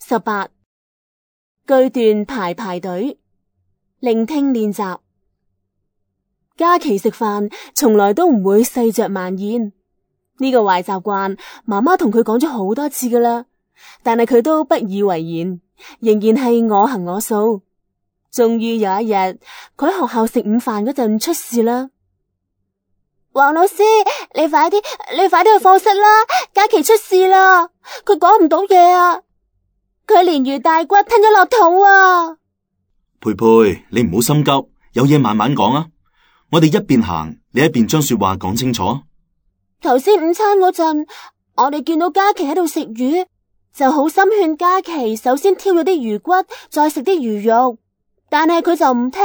18句段排隊，聆聽練習。嘉琪食飯從來都唔會細嚼慢咽，呢個壞習慣媽媽同佢講咗好多次噶啦，但係佢都不以為然，仍然係我行我素。終於有一日，佢喺學校食午飯嗰陣出事啦。黃老師，你快啲去課室啦！嘉琪出事啦，佢講唔到嘢啊！佢連魚帶骨吞咗落肚啊！佩佩，你唔好心急，有嘢慢慢講啊！我哋一邊行，你一邊將說話講清楚。頭先午餐嗰陣，我哋見到嘉琪喺度食魚，就好心勸嘉琪首先挑咗啲魚骨，再食啲魚肉，但係佢就唔聽。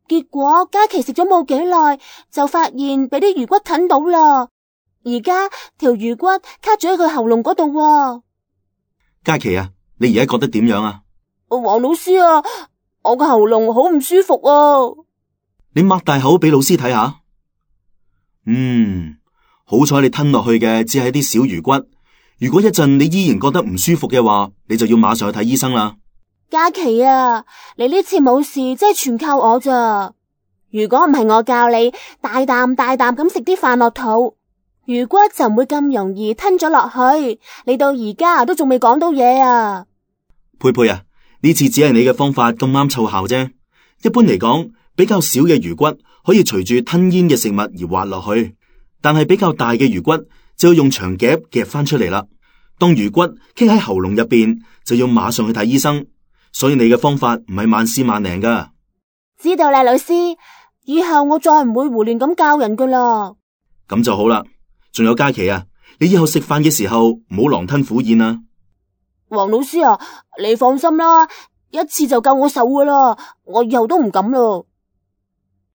結果嘉琪食咗冇幾耐，就發現俾啲魚骨啃到啦。而家條魚骨卡住喺佢喉嚨嗰度。嘉琪啊，你而家覺得點樣啊？黃老師啊，我個喉嚨好唔舒服啊。你擘大口俾老師睇下。好彩你吞落去嘅只係啲小魚骨。如果一陣你依然覺得唔舒服嘅話，你就要馬上去睇醫生啦。嘉琪啊，你呢次冇事真係全靠我咋。如果唔係我教你大啖咁食啲飯落肚，魚骨就唔會咁容易吞咗落去。你到而家都仲未講到嘢啊。佩佩啊，呢次只係你嘅方法咁啱湊效啫。一般嚟講，比較少嘅魚骨可以隨住吞咽嘅食物而滑落去，但係比較大嘅魚骨就要用長夾夾翻出嚟啦。當魚骨棘喺喉嚨入邊，就要馬上去睇醫生。所以你嘅方法唔係萬試萬靈噶。知道啦，老師，以後我再唔會胡亂咁教人噶啦。咁就好啦。仲有嘉琪啊，你以後食飯嘅時候唔好狼吞虎咽啊。黃老師啊，你放心啦，一次就夠我受噶啦，我以後都唔敢啦。